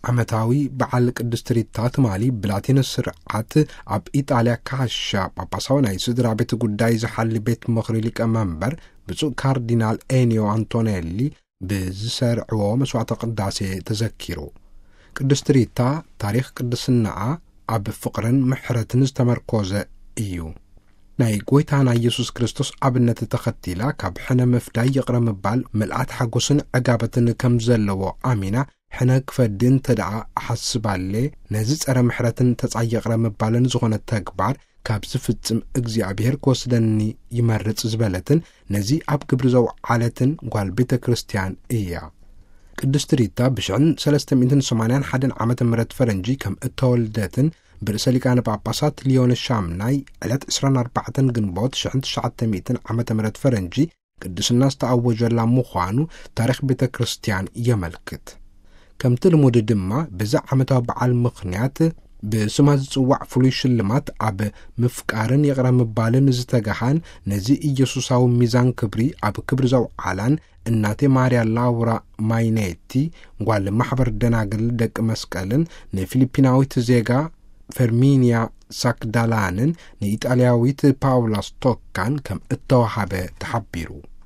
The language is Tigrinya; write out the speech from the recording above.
ዓመታዊ በዓል ቅድስት ሪታ ትማሊ ብላቲን ስርዓት ኣብ ኢጣልያ ካሻ ጳጳሳዊ ናይ ስድራ ቤት ጉዳይ ዝሓሊ ቤት ምኽሪ ሊቀመንበር ብፁዕ ካርዲናል ኤኒዮ ኣንቶኔሊ ብዝሰርዕዎ መስዋዕተ ቅዳሴ ተዘኪሩ። ቅድስት ሪታ ታሪኽ ቅድስናኣ ኣብ ፍቕርን ምሕረትን ዝተመርኮዘ እዩ። ናይ ጎይታና ኢየሱስ ክርስቶስ ኣብነት ተኸቲላ ካብ ሕነ ምፍዳይ ይቕረ ምባል ምልኣት ሓጎስን ዕጋበትን ከም ዘለዎ ኣሚና ሕነ ክፈዲ እንተ ደኣ እሓስባለ ነዚ ጸረ ምሕረትን ተጻይ ይቕረ ምባልን ዝኾነ ተግባር ካብ ዝፍጽም እግዚኣብሔር ክወስደኒ ይመርጽ ዝበለትን ነዚ ኣብ ግብሪ ዘውዓለትን ጓል ቤተ ክርስቲያን እያ። ቅድስት ሪታ ብሽሕን ሰለስተ ሚእትን ሰማንያን ሓደን ዓመተ ምህረት ፈረንጂ ከም እተወልደትን ብርእሰ ሊቃነ ጳጳሳት ሊዮን ሻምናይ ዕለት ዕስራን ኣርባዕተን ግንቦት ሽሕን ትሽዓተ ሚእትን ዓመተ ምህረት ፈረንጂ ቅድስና ዝተኣወጀላ ምዃኑ ታሪኽ ቤተ ክርስቲያን የመልክት። ከምቲ ልሙድ ድማ በዚ ዓመታዊ በዓል ምኽንያት ብስማ ዝጽዋዕ ፍሉይ ሽልማት ኣብ ምፍቃርን ይቕረ ምባልን ዝተጋሃን ነዚ ኢየሱሳዊ ሚዛን ክብሪ ኣብ ክብሪ ዘውዓላን እናቴ ማርያ ላውራ ማይኔቲ ጓል ማሕበር ደናግል ደቂ መስቀልን ንፊሊፒናዊት ዜጋ ፈርሚንያ ሳክዳላንን ንኢጣልያዊት ፓውላ ስቶካን ከም እተዋሃበ ተሓቢሩ።